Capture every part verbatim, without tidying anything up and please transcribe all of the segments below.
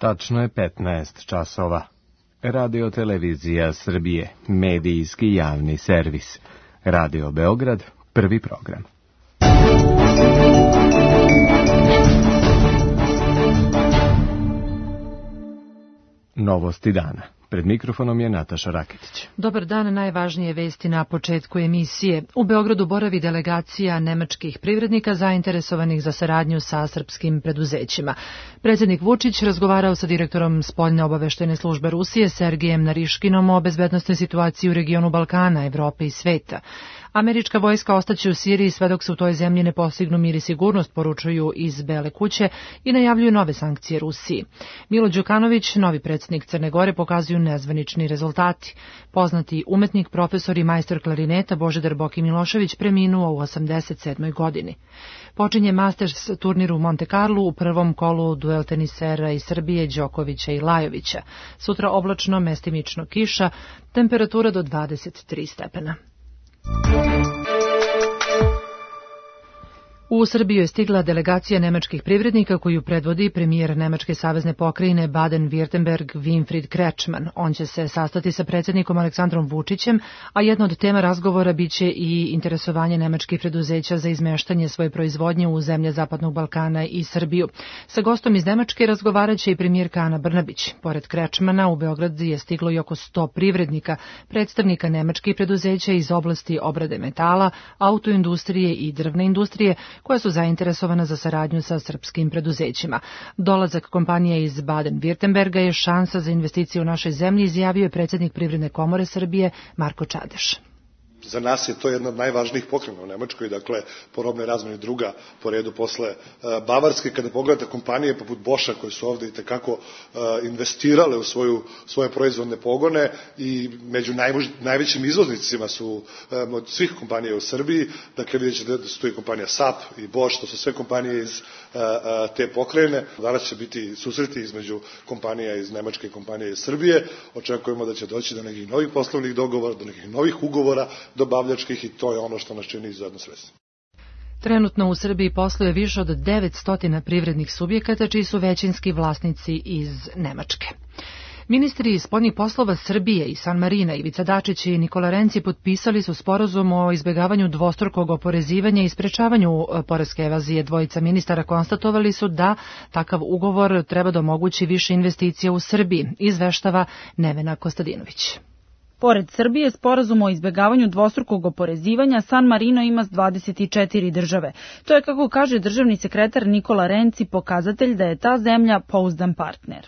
Tačno je petnaest časova. Radio Televizija Srbije, medijski javni servis. Radio Beograd, prvi program. Novosti dana. Pred mikrofonom je Nataša Raketić. Dobar dan, najvažnije vesti na početku emisije. U Beogradu boravi delegacija nemačkih privrednika zainteresovanih za saradnju sa srpskim preduzećima. Predsjednik Vučić razgovarao sa direktorom spoljne obaveštajne službe Rusije Sergejem Nariškinom o bezbednosnoj situaciji u regionu Balkana, Evrope i sveta. Američka vojska ostaće u Siriji sve dok se u toj zemlji ne postignu mir i sigurnost, poručuju iz Bele kuće i najavljuju nove sankcije Rusiji. Milo Đukanović, novi predsjednik Crne Gore, pokazuju nezvanični rezultati. Poznati umetnik, profesor i majstor klarineta Božidar Boki Milošević preminuo u osamdeset sedmoj godini. Počinje Masters turnir u Monte Carlo, u prvom kolu duel tenisera iz Srbije Đokovića i Lajovića. Sutra oblačno, mestimično kiša, temperatura do dvadeset tri stepena. U Srbiju je stigla delegacija nemačkih privrednika koju predvodi premijer Nemačke savezne pokrajine Baden-Württemberg Winfried Kretschmann. On će se sastati sa predsjednikom Aleksandrom Vučićem, a jedna od tema razgovora biće i interesovanje nemačkih preduzeća za izmeštanje svoje proizvodnje u zemlje Zapadnog Balkana i Srbiju. Sa gostom iz Nemačke razgovarat će i premijerka Ana Brnabić. Pored Kretschmanna u Beograd je stiglo i oko sto privrednika, predstavnika nemačkih preduzeća iz oblasti obrade metala, autoindustrije i drvne industrije, koja su zainteresovana za saradnju sa srpskim preduzećima. Dolazak kompanije iz Baden-Württemberga je šansa za investicije u našoj zemlji, izjavio je predsjednik Privredne komore Srbije Marko Čadeš. Za nas je to jedna od najvažnijih pokrena u Nemačkoj, dakle, po robnoj razmeni druga po redu posle uh, Bavarske. Kada pogledate kompanije poput Boscha koje su ovde i tekako uh, investirale u svoju, svoje proizvodne pogone i među najmož, najvećim izvoznicima su um, od svih kompanija u Srbiji, dakle vidjet ćete da su tu i kompanija S A P i Bosch, to su sve kompanije iz uh, uh, te pokrajine. Danas će biti susreti između kompanija iz Nemačke i kompanije iz Srbije. Očekujemo da će doći do nekih novih poslovnih dogovora, do nekih novih ugovora dobavljačkih i to je ono što nas čini izuzetno srećnim. Trenutno u Srbiji posluje više od devetsto privrednih subjekata čiji su većinski vlasnici iz Nemačke. Ministri spoljnih poslova Srbije i San Marina Ivica Dačić i Nikola Renci potpisali su sporazum o izbjegavanju dvostrukog oporezivanja i sprečavanju poreske evazije. Dvojica ministara konstatovali su da takav ugovor treba da omogući više investicija u Srbiji, izveštava Nevena Kostadinović. Pored Srbije, sporazum o izbjegavanju dvostrukog oporezivanja San Marino ima s dvadeset četiri države. To je, kako kaže državni sekretar Nikola Renci, pokazatelj da je ta zemlja pouzdan partner.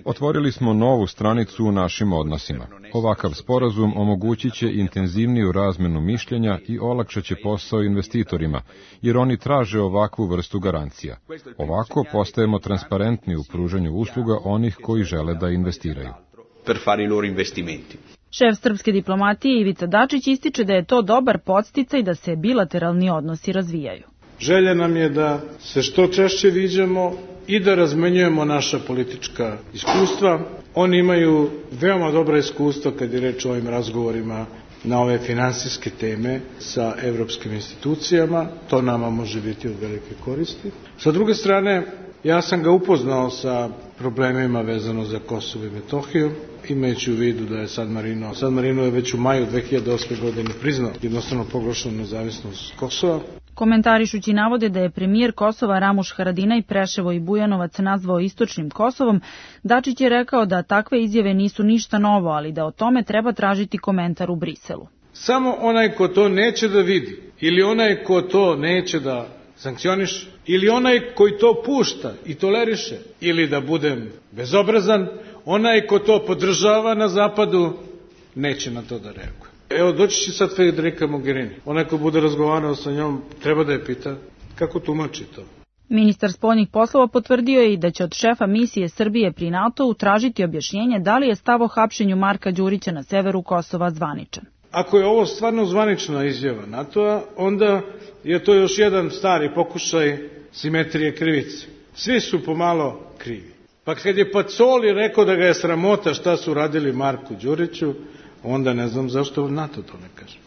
Otvorili smo novu stranicu u našim odnosima. Ovakav sporazum omogućit će intenzivniju razmenu mišljenja i olakšat će posao investitorima, jer oni traže ovakvu vrstu garancija. Ovako postajemo transparentni u pružanju usluga onih koji žele da investiraju. per fare i loro investimenti. Šef srpske diplomatije Ivica Dačić ističe da je to dobar podsticaj da se bilateralni odnosi razvijaju. Želja nam je da se što češće viđamo i da razmenjujemo naša politička iskustva. Oni imaju veoma dobra iskustva kad je reč o ovim razgovorima na ove finansijske teme sa evropskim institucijama. To nama može biti od velike koristi. Sa druge strane, ja sam ga upoznao sa problemima vezano za Kosovo i Metohiju, imajući u vidu da je San Marino, San Marino je već u maju dve hiljade osme. godine priznao jednostavno proglašenu nezavisnost Kosova. Komentarišući navode da je premijer Kosova Ramuš Haradinaj Preševo i Bujanovac nazvao istočnim Kosovom, Dačić je rekao da takve izjave nisu ništa novo, ali da o tome treba tražiti komentar u Briselu. Samo onaj ko to neće da vidi, ili onaj ko to neće da sankcioniše, ili onaj koji to pušta i toleriše, ili da budem bezobrazan, onaj ko to podržava na zapadu, neće na to da reaguje. Evo, doći će sad Federica Mogherini. Onaj ko bude razgovarao sa njom, treba da je pita kako tumači to. Ministar spoljnih poslova potvrdio je i da će od šefa misije Srbije pri NATO-u tražiti objašnjenje da li je stav o hapšenju Marka Đurića na severu Kosova zvaničan. Ako je ovo stvarno zvanična izjava NATO-a, onda je to još jedan stari pokušaj simetrije krivice. Svi su pomalo krivi. Pa kad je Pacoli rekao da ga je sramota šta su radili Marku Đuriću, onda ne znam zašto NATO to ne kaže.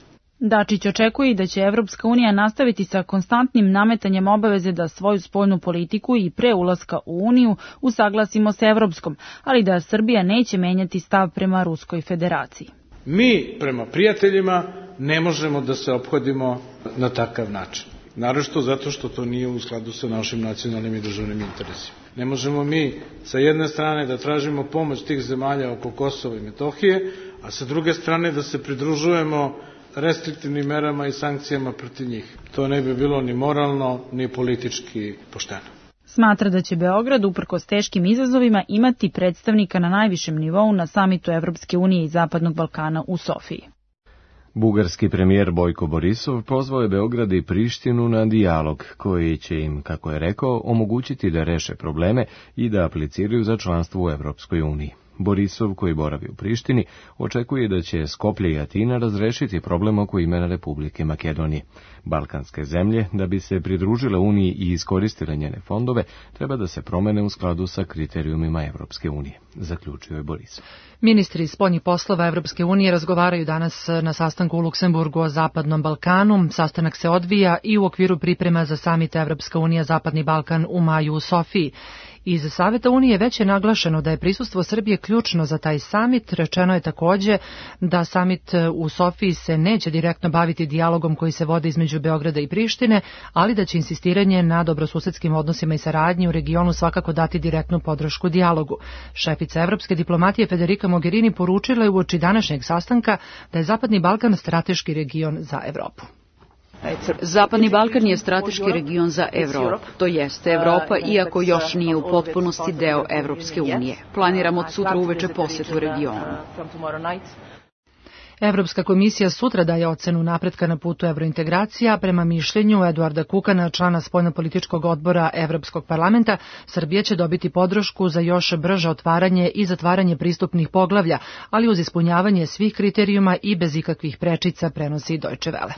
Dačić očekuje i da će Evropska unija nastaviti sa konstantnim nametanjem obaveze da svoju spoljnu politiku i pre ulaska u Uniju usaglasimo sa evropskom, ali da Srbija neće menjati stav prema Ruskoj federaciji. Mi prema prijateljima ne možemo da se ophodimo na takav način. Naročito zato što to nije u skladu sa našim nacionalnim i državnim interesima. Ne možemo mi sa jedne strane da tražimo pomoć tih zemalja oko Kosova i Metohije, a sa druge strane da se pridružujemo restriktivnim merama i sankcijama protiv njih. To ne bi bilo ni moralno, ni politički pošteno. Smatra da će Beograd, uprkos teškim izazovima, imati predstavnika na najvišem nivou na samitu Evropske unije i Zapadnog Balkana u Sofiji. Bugarski premijer Bojko Borisov pozvao je Beograd i Prištinu na dijalog, koji će im, kako je rekao, omogućiti da reše probleme i da apliciraju za članstvo u Evropskoj uniji. Borisov, koji boravi u Prištini, očekuje da će Skoplje i Atina razrešiti problem oko imena Republike Makedonije. Balkanske zemlje, da bi se pridružile Uniji i iskoristile njene fondove, treba da se promene u skladu sa kriterijumima Evropske unije, zaključio je Borisov. Ministri spoljnih poslova Evropske unije razgovaraju danas na sastanku u Luksemburgu o Zapadnom Balkanu. Sastanak se odvija i u okviru priprema za samit Evropska unija Zapadni Balkan u maju u Sofiji. Iz Saveta Unije već je naglašeno da je prisustvo Srbije ključno za taj samit. Rečeno je takođe da samit u Sofiji se neće direktno baviti dijalogom koji se vodi između Beograda i Prištine, ali da će insistiranje na dobrosusedskim odnosima i saradnji u regionu svakako dati direktnu podršku dijalogu. Šefica evropske diplomatije Federica Mogherini poručila je uoči današnjeg sastanka da je Zapadni Balkan strateški region za Evropu. Zapadni Balkan je strateški region za Evropu. To jeste Evropa, iako još nije u potpunosti deo Evropske unije. Planiramo od sutra uveče posetu regionu. Evropska komisija sutra daje ocenu napretka na putu evrointegracija. Prema mišljenju Eduarda Kukana, člana spoljnopolitičkog odbora Evropskog parlamenta, Srbija će dobiti podršku za još brže otvaranje i zatvaranje pristupnih poglavlja, ali uz ispunjavanje svih kriterijuma i bez ikakvih prečica, prenosi Deutsche Welle.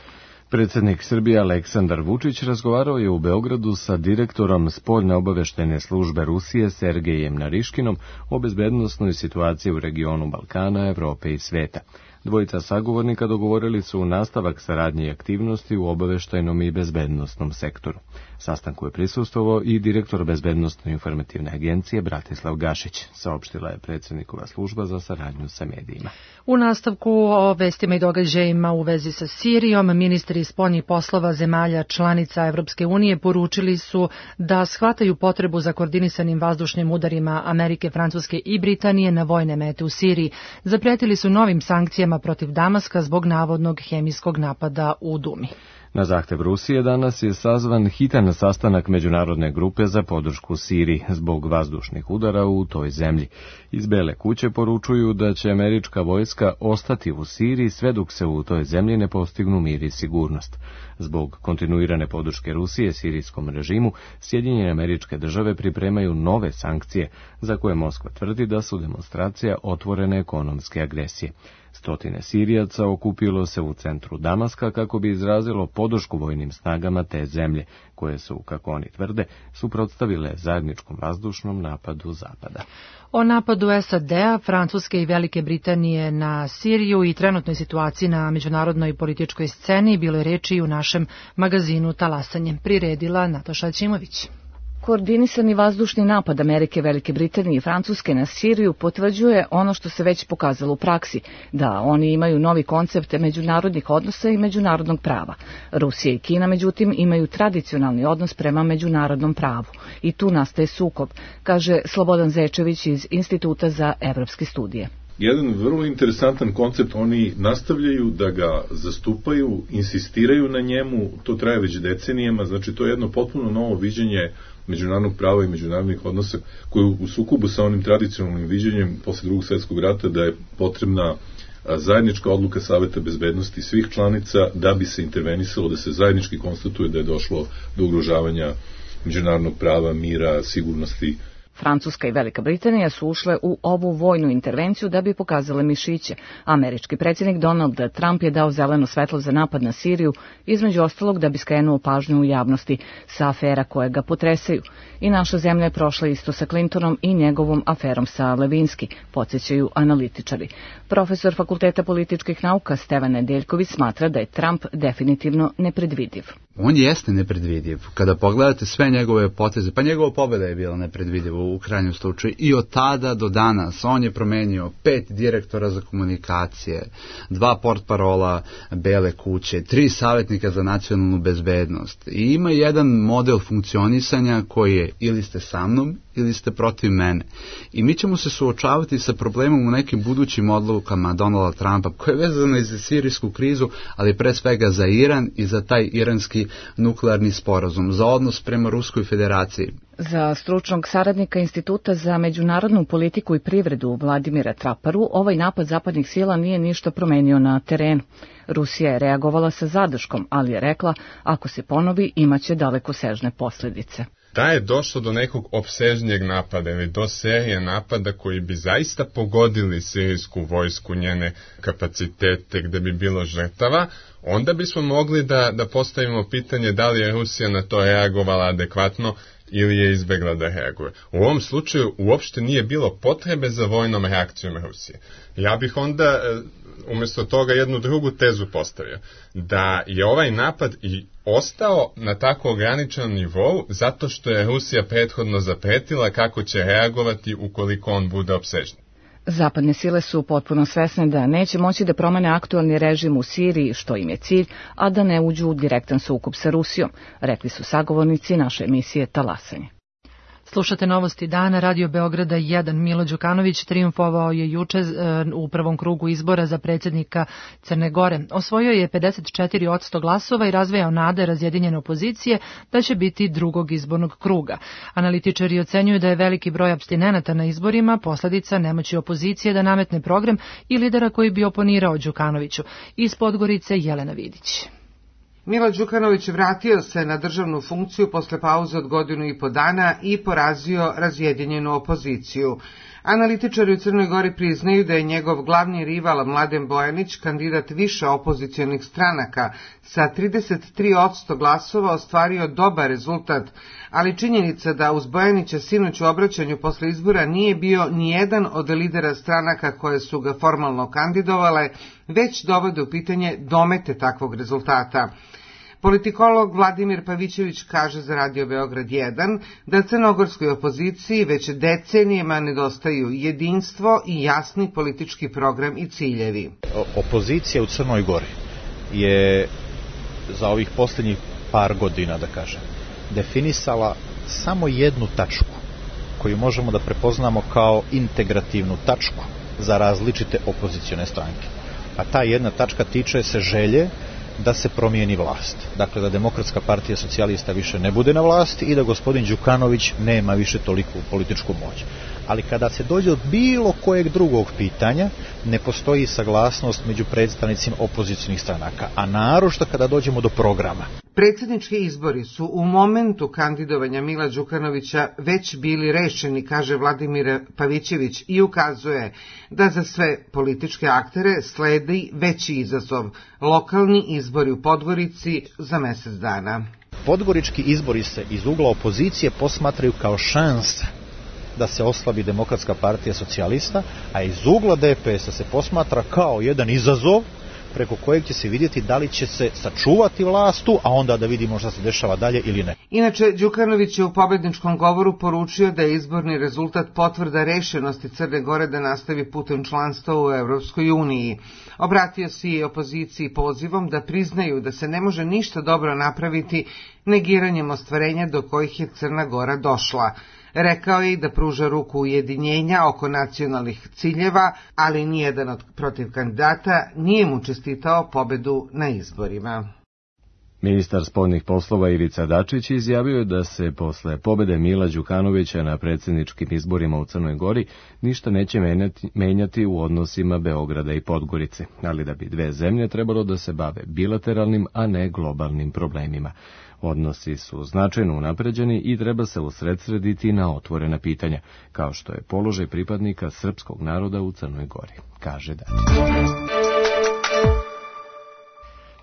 Predsjednik Srbije Aleksandar Vučić razgovarao je u Beogradu sa direktorom spoljne obaveštajne službe Rusije Sergejem Nariškinom o bezbednosnoj situaciji u regionu Balkana, Evrope i sveta. Dvojica sagovornika dogovorili su nastavak saradnje i aktivnosti u obaveštajnom i bezbednostnom sektoru. Sastanku je prisustvovao i direktor Bezbednostno informativne agencije Bratislav Gašić, saopštila je predsjednikova služba za saradnju sa medijima. U nastavku o vestima i događajima u vezi sa Sirijom, ministri spoljnih poslova zemalja članica Evropske unije poručili su da shvataju potrebu za koordinisanim vazdušnim udarima Amerike, Francuske i Britanije na vojne mete u Siriji. Zapretili su novim sankcijama protiv Damaska zbog navodnog hemijskog napada u Dumi. Na zahtev Rusije danas je sazvan hitan sastanak međunarodne grupe za podršku Siriji zbog vazdušnih udara u toj zemlji. Iz Bele kuće poručuju da će američka vojska ostati u Siriji sve dok se u toj zemlji ne postignu mir i sigurnost. Zbog kontinuirane podrške Rusije sirijskom režimu, Sjedinjene Američke Države pripremaju nove sankcije za koje Moskva tvrdi da su demonstracija otvorene ekonomske agresije. Stotine Sirijaca okupilo se u centru Damaska kako bi izrazilo podršku vojnim snagama te zemlje, koje su, kako oni tvrde, suprotstavile zajedničkom vazdušnom napadu Zapada. O napadu S A D-a, Francuske i Velike Britanije na Siriju i trenutnoj situaciji na međunarodnoj političkoj sceni bilo je reči i u našem magazinu Talasanje. Priredila Nataša Ćimović. Koordinisani vazdušni napad Amerike, Velike Britanije i Francuske na Siriju potvrđuje ono što se već pokazalo u praksi, da oni imaju novi koncept međunarodnih odnosa i međunarodnog prava. Rusija i Kina, međutim, imaju tradicionalni odnos prema međunarodnom pravu i tu nastaje sukob, kaže Slobodan Zečević iz Instituta za evropske studije. Jedan vrlo interesantan koncept, oni nastavljaju da ga zastupaju, insistiraju na njemu, to traje već decenijama, znači to je jedno potpuno novo viđenje međunarodnog prava i međunarodnih odnosa koje u sukobu sa onim tradicionalnim viđenjem posle drugog svjetskog rata da je potrebna zajednička odluka Saveta bezbednosti svih članica da bi se intervenisalo, da se zajednički konstatuje da je došlo do ugrožavanja međunarodnog prava, mira, sigurnosti. Francuska i Velika Britanija su ušle u ovu vojnu intervenciju da bi pokazale mišiće. Američki predsjednik Donald Trump je dao zeleno svetlo za napad na Siriju, između ostalog da bi skrenuo pažnju u javnosti sa afera koje ga potresaju. I naša zemlja je prošla isto sa Clintonom i njegovom aferom sa Levinski, podsjećaju analitičari. Profesor Fakulteta političkih nauka Stevan Nedeljković smatra da je Trump definitivno nepredvidiv. On jeste nepredvidiv. Kada pogledate sve njegove poteze, pa njegova pobjeda je bila nepredvidiva u krajnjem slučaju i od tada do danas on je promenio pet direktora za komunikacije, dva portparola Bele kuće, tri savjetnika za nacionalnu bezbednost i ima jedan model funkcionisanja koji je ili ste sa mnom ili ste protiv mene. I mi ćemo se suočavati sa problemom u nekim budućim odlukama Donalda Trumpa koje je vezano i za sirijsku krizu, ali pre svega za Iran i za taj iranski nuklearni sporazum, za odnos prema Ruskoj federaciji. Za stručnog saradnika Instituta za međunarodnu politiku i privredu Vladimira Traparu, ovaj napad zapadnih sila nije ništa promenio na terenu. Rusija je reagovala sa zadrškom, ali je rekla, ako se ponovi, imaće dalekosežne posljedice. Da je došlo do nekog opsežnijeg napada ili do serije napada koji bi zaista pogodili sirijsku vojsku, njene kapacitete, gde bi bilo žrtava, onda bismo mogli da, da postavimo pitanje da li je Rusija na to reagovala adekvatno ili je izbjegla da reaguje. U ovom slučaju uopšte nije bilo potrebe za vojnom reakcijom Rusije. Ja bih onda umjesto toga jednu drugu tezu postavio, da je ovaj napad i ostao na tako ograničenom nivou zato što je Rusija prethodno zapretila kako će reagovati ukoliko on bude opsežniji. Zapadne sile su potpuno svesne da neće moći da promene aktualni režim u Siriji, što im je cilj, a da ne uđu u direktan sukob sa Rusijom, rekli su sagovornici naše emisije Talasanje. Slušate novosti dana, Radio Beograda jedan. Milo Đukanović trijumfovao je juče u prvom krugu izbora za predsjednika Crne Gore. Osvojio je pedeset četiri posto glasova i razvejao nade razjedinjene opozicije da će biti drugog izbornog kruga. Analitičari ocenjuju da je veliki broj apstinenata na izborima posljedica nemoći opozicije da nametne program i lidera koji bi oponirao Đukanoviću. Iz Podgorice Jelena Vidić. Milo Đukanović vratio se na državnu funkciju posle pauze od godinu i po dana i porazio razjedinjenu opoziciju. Analitičari u Crnoj Gori priznaju da je njegov glavni rival Mladen Bojanić, kandidat više opozicionih stranaka, sa trideset tri posto glasova ostvario dobar rezultat, ali činjenica da uz Bojanića sinoć u obraćanju posle izbora nije bio ni jedan od lidera stranaka koje su ga formalno kandidovale, već dovode u pitanje domete takvog rezultata. Politikolog Vladimir Pavićević kaže za Radio Beograd jedan da crnogorskoj opoziciji već decenijama nedostaju jedinstvo i jasni politički program i ciljevi. Opozicija u Crnoj Gori je za ovih posljednjih par godina, da kažem, definisala samo jednu tačku koju možemo da prepoznamo kao integrativnu tačku za različite opozicione stranke. A ta jedna tačka tiče se želje da se promijeni vlast. Dakle, da Demokratska partija socijalista više ne bude na vlasti i da gospodin Đukanović nema više toliku političku moć. Ali kada se dođe od bilo kojeg drugog pitanja, ne postoji saglasnost među predstavnicima opozicionih stranaka, a naročito kada dođemo do programa. Predsjednički izbori su u momentu kandidovanja Mila Đukanovića već bili rešeni, kaže Vladimir Pavićević i ukazuje da za sve političke aktere sledi veći izazov, lokalni izbori u Podgorici za mjesec dana. Podgorički izbori se iz ugla opozicije posmatraju kao šansa da se oslabi Demokratska partija socijalista, a iz ugla D P S-a se posmatra kao jedan izazov preko kojeg će se vidjeti da li će se sačuvati vlastu, a onda da vidimo šta se dešava dalje ili ne. Inače, Đukanović je u pobedničkom govoru poručio da je izborni rezultat potvrda rešenosti Crne Gore da nastavi putem članstva u Evropskoj uniji. Obratio se i opoziciji pozivom da priznaju da se ne može ništa dobro napraviti negiranjem ostvarenja do kojih je Crna Gora došla. Rekao je i da pruža ruku ujedinjenja oko nacionalnih ciljeva, ali nijedan od protiv kandidata nije mu čestitao pobedu na izborima. Ministar spoljnih poslova Ivica Dačić izjavio je da se posle pobede Mila Đukanovića na predsjedničkim izborima u Crnoj Gori ništa neće menjati, menjati u odnosima Beograda i Podgorice, ali da bi dve zemlje trebalo da se bave bilateralnim, a ne globalnim problemima. Odnosi su značajno unapređeni i treba se usredsrediti na otvorena pitanja, kao što je položaj pripadnika srpskog naroda u Crnoj Gori, kaže Dačić.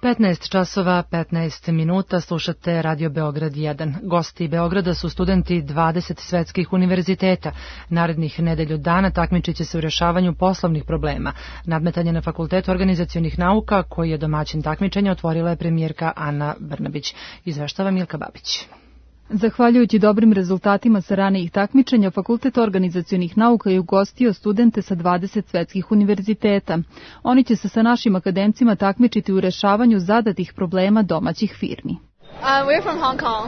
petnaest časova petnaest minuta, slušate Radio Beograd jedan. Gosti Beograda su studenti dvadeset svetskih univerziteta. Narednih nedelju dana takmičit će se u rješavanju poslovnih problema. Nadmetanje na Fakultetu organizacionih nauka, koji je domaćin takmičenja, otvorila je premijerka Ana Brnabić. Izveštava Milka Babić. Zahvaljujući dobrim rezultatima sa ranijih takmičenja, Fakultet organizacionih nauka je ugostio studente sa dvadeset svetskih univerziteta. Oni će se sa našim akademcima takmičiti u rešavanju zadatih problema domaćih firmi.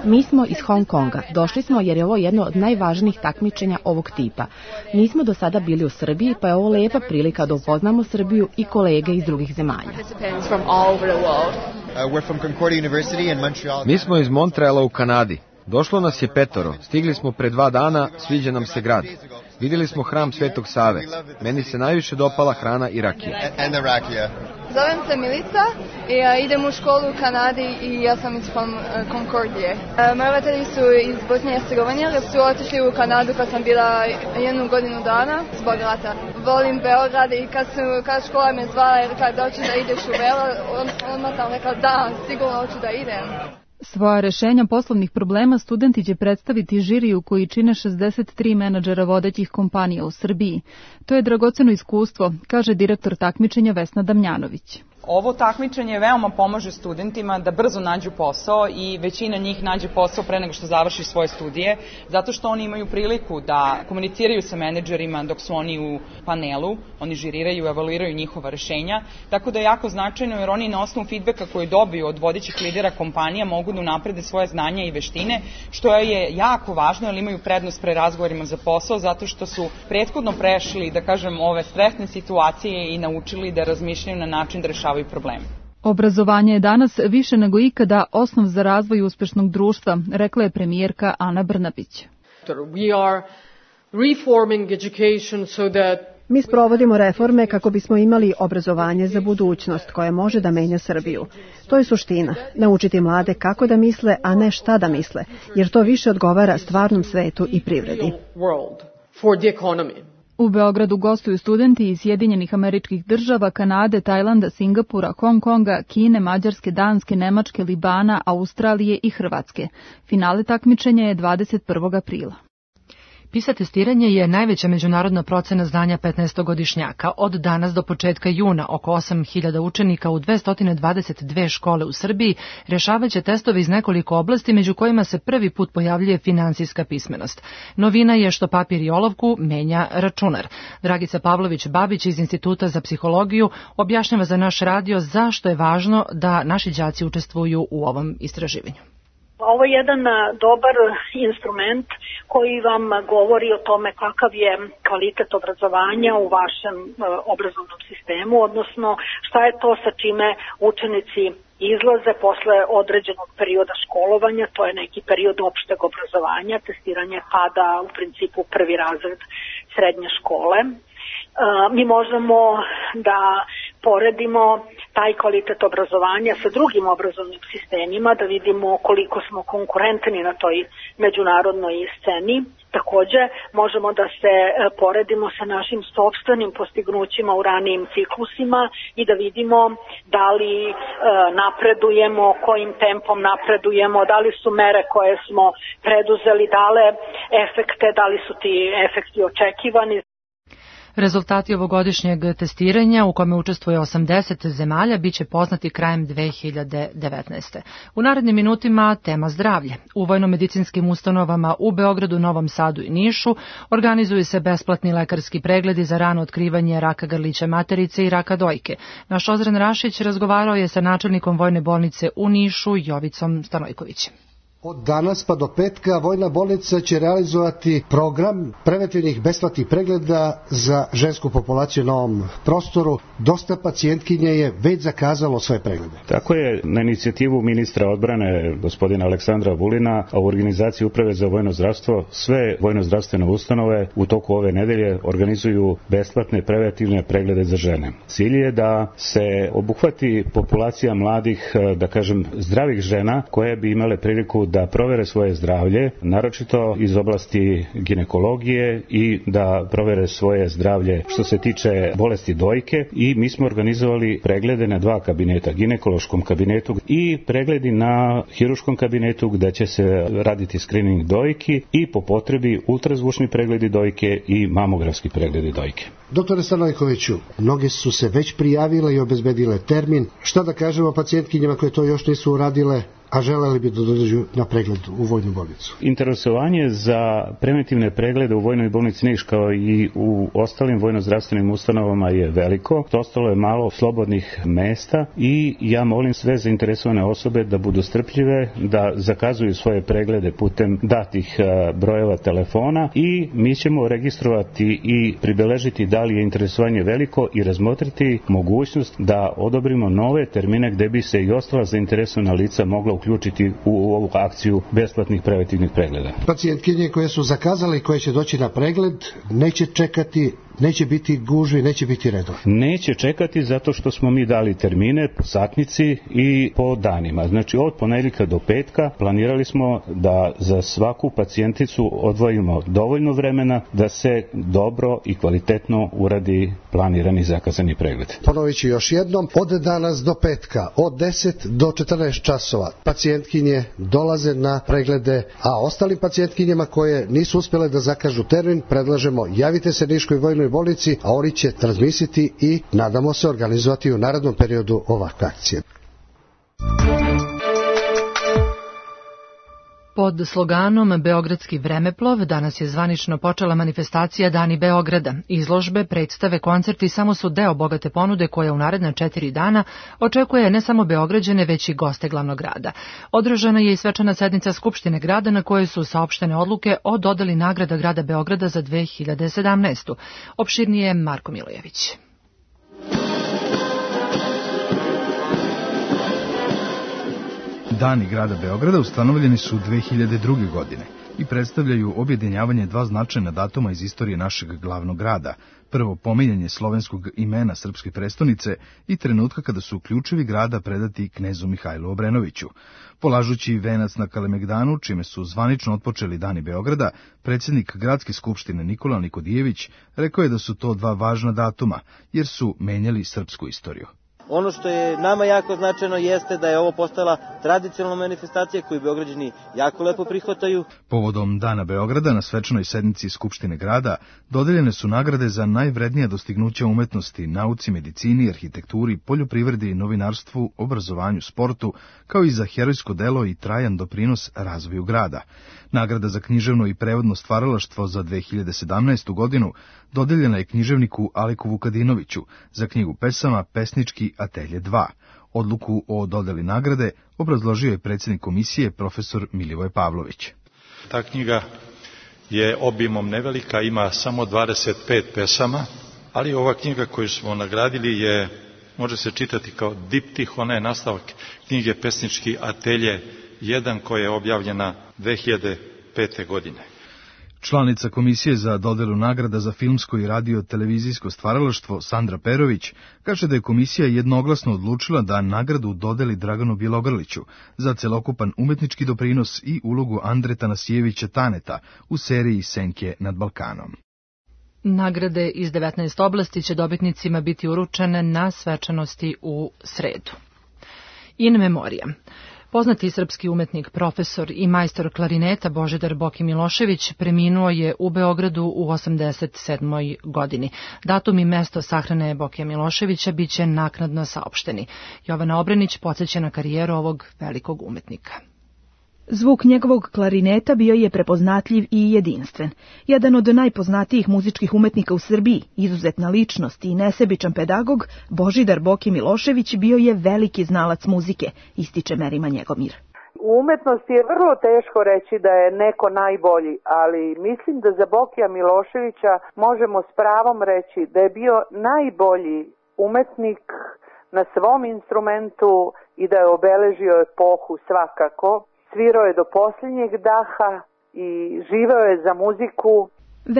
Mi smo iz Hong Konga. Došli smo jer je ovo jedno od najvažnijih takmičenja ovog tipa. Nismo do sada bili u Srbiji, pa je ovo lepa prilika da upoznamo Srbiju i kolege iz drugih zemalja. Mi smo iz Montreala u Kanadi. Došlo nas je petoro, stigli smo pre dva dana, sviđa nam se grad. Vidjeli smo hram Svetog Save. Meni se najviše dopala hrana i rakija. Zovem se Milica i ja idem u školu u Kanadi i ja sam iz Konkordije. Moji roditelji su iz Bosne i Hercegovine, jer su otišli u Kanadu kad sam bila jednu godinu dana zbog rata. Volim Beograd i kad, su, kad škola me zvala i rekla da hoću da ideš u Beograd, odmah sam rekla da, sigurno hoću da idem. Svoja rešenja poslovnih problema studenti će predstaviti žiriju koji čine šezdeset tri menadžera vodećih kompanija u Srbiji. To je dragoceno iskustvo, kaže direktor takmičenja Vesna Damjanović. Ovo takmičenje veoma pomaže studentima da brzo nađu posao i većina njih nađe posao pre nego što završi svoje studije, zato što oni imaju priliku da komuniciraju sa menadžerima dok su oni u panelu, oni žiriraju i evaluiraju njihova rešenja, tako da je jako značajno jer oni na osnovu feedbacka koji dobiju od vodećih lidera kompanija mogu da unaprede svoje znanja i veštine, što je jako važno jer imaju prednost pre razgovorima za posao, zato što su prethodno prešli, da kažem, ove stresne situacije i naučili da razmišljaju na način da rešavaju problemi. Obrazovanje je danas više nego ikada osnov za razvoj uspešnog društva, rekla je premijerka Ana Brnabić. Mi sprovodimo reforme kako bismo imali obrazovanje za budućnost koje može da menja Srbiju. To je suština, naučiti mlade kako da misle, a ne šta da misle, jer to više odgovara stvarnom svetu i privredi. U Beogradu gostuju studenti iz Sjedinjenih Američkih Država, Kanade, Tajlanda, Singapura, Hong Konga, Kine, Mađarske, Danske, Nemačke, Libana, Australije i Hrvatske. Finale takmičenja je dvadeset prvog aprila. PISA testiranje je najveća međunarodna procena znanja petnaestogodišnjaka. Od danas do početka juna oko osam hiljada učenika u dvesta dvadeset dve škole u Srbiji rešavaće testove iz nekoliko oblasti, među kojima se prvi put pojavljuje finansijska pismenost. Novina je što papir i olovku menja računar. Dragica Pavlović-Babić iz Instituta za psihologiju objašnjava za naš radio zašto je važno da naši đaci učestvuju u ovom istraživanju. Ovo je jedan dobar instrument koji vam govori o tome kakav je kvalitet obrazovanja u vašem obrazovnom sistemu, odnosno šta je to sa čime učenici izlaze posle određenog perioda školovanja, to je neki period opšteg obrazovanja, testiranje pada u principu prvi razred srednje škole. Mi možemo da poredimo taj kvalitet obrazovanja sa drugim obrazovnim sistemima, da vidimo koliko smo konkurentni na toj međunarodnoj sceni. Takođe, možemo da se poredimo sa našim sopstvenim postignućima u ranijim ciklusima i da vidimo da li e, napredujemo, kojim tempom napredujemo, da li su mere koje smo preduzeli dale efekte, da li su ti efekti očekivani. Rezultati ovogodišnjeg testiranja, u kome učestvuje osamdeset zemalja, biće poznati krajem dve hiljade devetnaeste. U narednim minutima tema zdravlje. U vojno-medicinskim ustanovama u Beogradu, Novom Sadu i Nišu organizuju se besplatni lekarski pregledi za rano otkrivanje raka grlića materice i raka dojke. Naš Ozren Rašić razgovarao je sa načelnikom vojne bolnice u Nišu, Jovicom Stanojkovićem. Od danas pa do petka Vojna bolnica će realizovati program preventivnih besplatnih pregleda za žensku populaciju na ovom prostoru. Dosta pacijentkinja je već zakazalo svoje preglede. Tako je, na inicijativu ministra odbrane gospodina Aleksandra Vulina, a u organizaciji Uprave za vojno zdravstvo, sve vojno-zdravstvene ustanove u toku ove nedelje organizuju besplatne preventivne preglede za žene. Cilj je da se obuhvati populacija mladih, da kažem, zdravih žena koje bi imale priliku da provere svoje zdravlje, naročito iz oblasti ginekologije i da provere svoje zdravlje što se tiče bolesti dojke, i mi smo organizovali preglede na dva kabineta, ginekološkom kabinetu i pregledi na hiruškom kabinetu gde će se raditi screening dojki i po potrebi ultrazvučni pregledi dojke i mamografski pregledi dojke. Doktore Stanojkoviću, mnoge su se već prijavile i obezbedile termin. Šta da kažemo pacijentkinjama koje to još nisu uradile, a želeli bi da dođu na pregled u Vojnu bolnicu? Interesovanje za preventivne preglede u Vojnoj bolnici Niš kao i u ostalim vojno-zdravstvenim ustanovama je veliko. Ostalo je malo slobodnih mesta i ja molim sve zainteresovane osobe da budu strpljive, da zakazuju svoje preglede putem datih brojeva telefona i mi ćemo registrovati i pribeležiti da li je interesovanje veliko i razmotriti mogućnost da odobrimo nove termine gde bi se i ostala zainteresovana lica mogla uključiti u ovu akciju besplatnih preventivnih pregleda. Pacijentkinje koje su zakazali i koje će doći na pregled neće čekati, neće biti gužvi, neće biti redova. Neće čekati zato što smo mi dali termine po satnici i po danima. Znači od ponedjeljka do petka planirali smo da za svaku pacijenticu odvojimo dovoljno vremena da se dobro i kvalitetno uradi planirani zakazani pregled. Ponovit ću još jednom, od danas do petka, od deset do četrnaest časova pacijentkinje dolaze na preglede, a ostalim pacijentkinjama koje nisu uspjele da zakažu termin, predlažemo javite se Niškoj Vojnoj bolnici, a oni će transmisiti i nadamo se organizovati u narednom periodu ovakve akcije. Pod sloganom Beogradski vremeplov danas je zvanično počela manifestacija Dani Beograda. Izložbe, predstave, koncerti samo su deo bogate ponude koja u naredna četiri dana očekuje ne samo Beograđane, već i goste glavnog grada. Održana je i svečana sednica Skupštine grada na kojoj su saopštene odluke o dodeli nagrada grada Beograda za dve hiljade sedamnaestu. Opširnije Marko Milojević. Dani grada Beograda ustanovljeni su dve hiljade druge. godine i predstavljaju objedinjavanje dva značajna datuma iz istorije našeg glavnog grada. Prvo, pominjanje slovenskog imena srpske prestonice i trenutka kada su ključevi grada predati knezu Mihajlu Obrenoviću. Polažući venac na Kalemegdanu, čime su zvanično otpočeli Dani Beograda, predsjednik Gradske skupštine Nikola Nikodijević rekao je da su to dva važna datuma, jer su menjali srpsku istoriju. Ono što je nama jako značajno jeste da je ovo postala tradicionalna manifestacija koju Beograđani jako lepo prihvataju. Povodom Dana Beograda na svečanoj sednici Skupštine grada dodeljene su nagrade za najvrednija dostignuća umetnosti, nauci, medicini, arhitekturi, poljoprivredi, novinarstvu, obrazovanju, sportu, kao i za herojsko delo i trajan doprinos razvoju grada. Nagrada za književno i prevodno stvaralaštvo za dve hiljade sedamnaestu. godinu dodeljena je književniku Aliku Vukadinoviću za knjigu pesama Pesnički atelje dva. Odluku o dodeli nagrade obrazložio je predsjednik komisije profesor Milivoje Pavlović. Ta knjiga je obimom nevelika, ima samo dvadeset pet pesama, ali ova knjiga koju smo nagradili je, može se čitati kao diptih, ona je nastavak knjige Pesnički atelje jedan koja je objavljena dve hiljade pete. godine. Članica Komisije za dodelu nagrada za filmsko i radio-televizijsko stvaralaštvo Sandra Perović kaže da je komisija jednoglasno odlučila da nagradu dodeli Draganu Bjelogrliću za celokupan umetnički doprinos i ulogu Andre Tanasijevića Taneta u seriji Senke nad Balkanom. Nagrade iz devetnaest oblasti će dobitnicima biti uručene na svečanosti u sredu. In memoriam. Poznati srpski umetnik, profesor i majstor klarineta Božidar Boki Milošević preminuo je u Beogradu u osamdeset sedmoj. godini. Datum i mesto sahrane Bokija Miloševića biće naknadno saopšteni. Jovana Obrenić podsjeća na karijeru ovog velikog umetnika. Zvuk njegovog klarineta bio je prepoznatljiv i jedinstven. Jedan od najpoznatijih muzičkih umetnika u Srbiji, izuzetna ličnost i nesebičan pedagog, Božidar Boki Milošević bio je veliki znalac muzike, ističe Merima Njegomir. U umetnosti je vrlo teško reći da je neko najbolji, ali mislim da za Bokija Miloševića možemo s pravom reći da je bio najbolji umetnik na svom instrumentu i da je obeležio epohu svakako. Svirao je do posljednjeg daha i živeo je za muziku.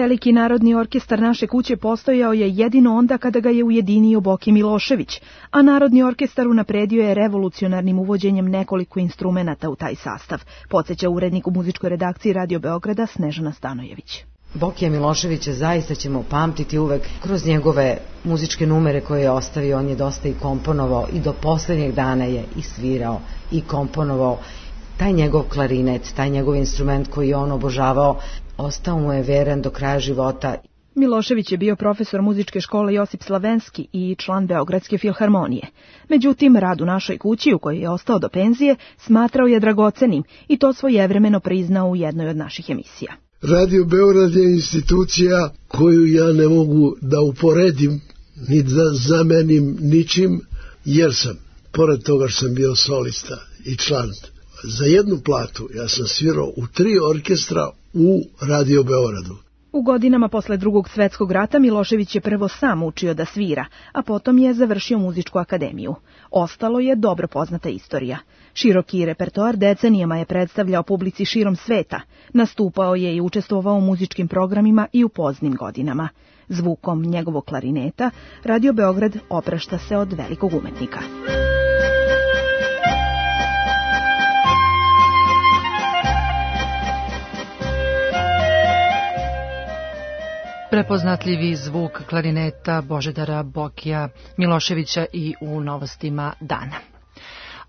Veliki narodni orkestar naše kuće postojao je jedino onda kada ga je ujedinio Boki Milošević, a Narodni orkestar unapredio je revolucionarnim uvođenjem nekoliko instrumenata u taj sastav, podsjeća urednik u muzičkoj redakciji Radio Beograda Snežana Stanojević. Bokija Miloševića zaista ćemo pamtiti uvek kroz njegove muzičke numere koje je ostavio. On je dosta i komponovao i do poslednjeg dana je i svirao i komponovao. Taj njegov klarinet, taj njegov instrument koji je on obožavao, ostao mu je veran do kraja života. Milošević je bio profesor muzičke škole Josip Slavenski i član Beogradske filharmonije. Međutim, rad u našoj kući, u kojoj je ostao do penzije, smatrao je dragocenim i to svojevremeno priznao u jednoj od naših emisija. Radio Beograd je institucija koju ja ne mogu da uporedim ni da zamenim ničim, jer sam, pored toga što sam bio solista i član, za jednu platu ja sam svirao u tri orkestra u Radio Beogradu. U godinama posle Drugog svetskog rata Milošević je prvo sam učio da svira, a potom je završio muzičku akademiju. Ostalo je dobro poznata istorija. Široki repertoar decenijama je predstavljao publici širom sveta, nastupao je i učestvovao u muzičkim programima i u poznim godinama. Zvukom njegovog klarineta Radio Beograd oprašta se od velikog umetnika. Prepoznatljivi zvuk klarineta Božidara Bokija Miloševića i u novostima dana.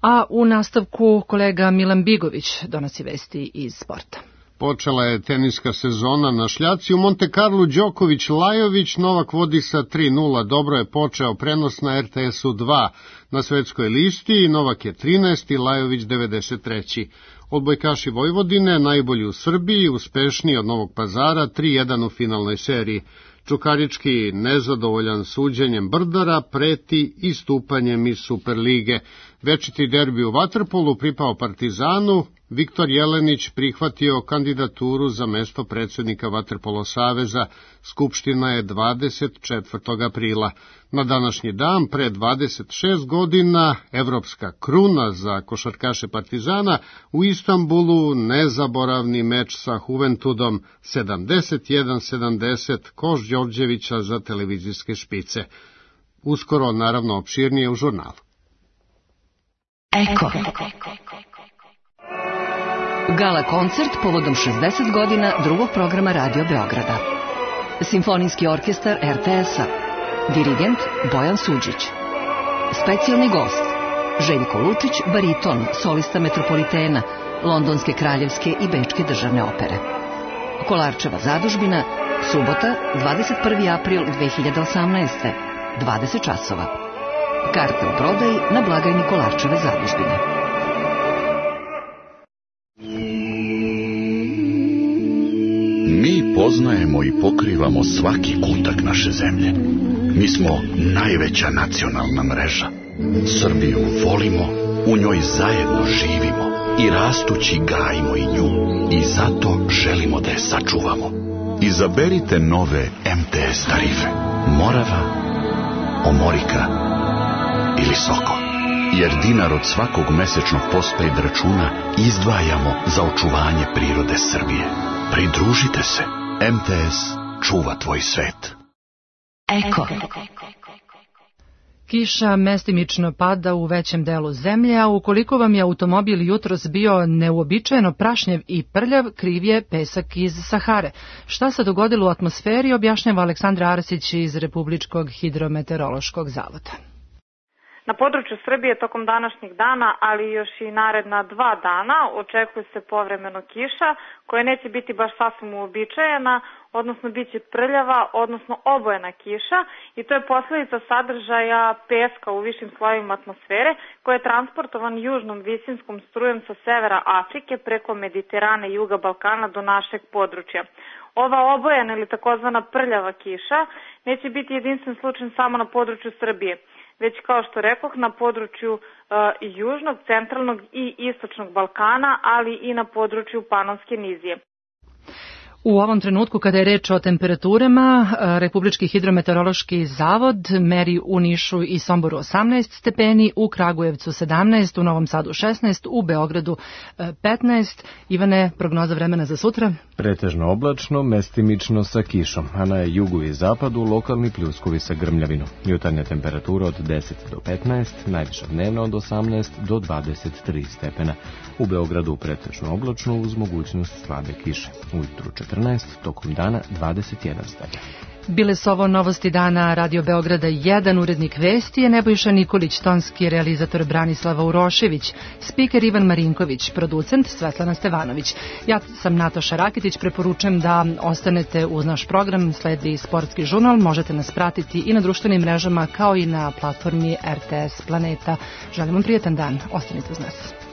A u nastavku kolega Milan Bigović donosi vesti iz sporta. Počela je teniska sezona na šljaci. U Monte Carlu Đoković Lajović, Novak vodi sa tri nula. Dobro je počeo prenos na R T S U dva. Na svetskoj listi Novak je trinaesti, Lajović devedeset treći. Odbojkaši Vojvodine, najbolji u Srbiji, uspešniji od Novog Pazara, tri jedan u finalnoj seriji. Čukarički, nezadovoljan suđenjem Brdara, preti istupanjem iz Superlige. Večiti derbi u vaterpolu pripao Partizanu. Viktor Jelenić prihvatio kandidaturu za mesto predsjednika Vaterpolo saveza. Skupština je dvadeset četvrtog aprila. Na današnji dan, pre dvadeset šest godina, evropska kruna za košarkaše Partizana, u Istanbulu nezaboravni meč sa Juventudom, sedamdeset jedan sedamdeset, koš Đorđevića za televizijske špice. Uskoro, naravno, opširnije u žurnalu. Eko. Gala koncert povodom šezdeset godina drugog programa Radio Beograda. Simfonijski orkestar R T S-a. Dirigent Bojan Suđić. Specijalni gost Željko Lučić, bariton, solista Metropolitena, Londonske kraljevske i Bečke državne opere. Kolarčeva zadužbina, subota, dvadeset prvi april dve hiljade osamnaeste. dvadeset časova. Karte u prodaji na blagajni Kolarčeve zadužbine. Mi poznajemo i pokrivamo svaki kutak naše zemlje. Mi smo najveća nacionalna mreža. Srbiju volimo, u njoj zajedno živimo i rastući gajimo i nju. I zato želimo da je sačuvamo. Izaberite nove M T S tarife. Morava, Omorika ili Soko. Jer dinar od svakog mesečnog postpaid računa izdvajamo za očuvanje prirode Srbije. Pridružite se. M T S čuva tvoj svet. Eko. Kiša mestimično pada u većem delu zemlje, a ukoliko vam je automobil jutros bio neuobičajeno prašnjev i prljav, kriv je pesak iz Sahare. Šta se dogodilo u atmosferi, objašnjava Aleksandra Arsić iz Republičkog hidrometeorološkog zavoda. Na području Srbije tokom današnjeg dana, ali još i naredna dva dana, očekuje se povremeno kiša, koja neće biti baš sasvim uobičajena, odnosno bit će prljava, odnosno obojena kiša, i to je posljedica sadržaja peska u višim slojevima atmosfere, koji je transportovan južnom visinskom strujem sa severa Afrike preko Mediterana i juga Balkana do našeg područja. Ova obojena ili takozvana prljava kiša neće biti jedinstven slučaj samo na području Srbije. već kao što rekoh na području uh, južnog, centralnog i istočnog Balkana, ali i na području Panonske nizije. U ovom trenutku, kada je reč o temperaturama, Republički hidrometeorološki zavod meri u Nišu i Somboru osamnaest stepeni, u Kragujevcu sedamnaest, u Novom Sadu šesnaest, u Beogradu petnaest. Ivane, prognoza vremena za sutra? Pretežno oblačno, mestimično sa kišom, a na jugu i zapadu lokalni pljuskovi sa grmljavinom. Jutarnja temperatura od deset do petnaest, najviša dnevna od osamnaest do dvadeset tri stepena. U Beogradu pretežno oblačno uz mogućnost slabe kiše. Ujutru četrnaest, tokom dana dvadeset jedan stepen. Bile su ovo novosti dana Radio Beograda jedan, urednik vesti je Nebojša Nikolić, tonski realizator Branislava Urošević, spiker Ivan Marinković, producent Svetlana Stevanović. Ja sam Nataša Rakitić, preporučujem da ostanete uz naš program, sledi Sportski žurnal, možete nas pratiti i na društvenim mrežama kao i na platformi R T S Planeta. Želim vam prijetan dan, ostanite uz nas.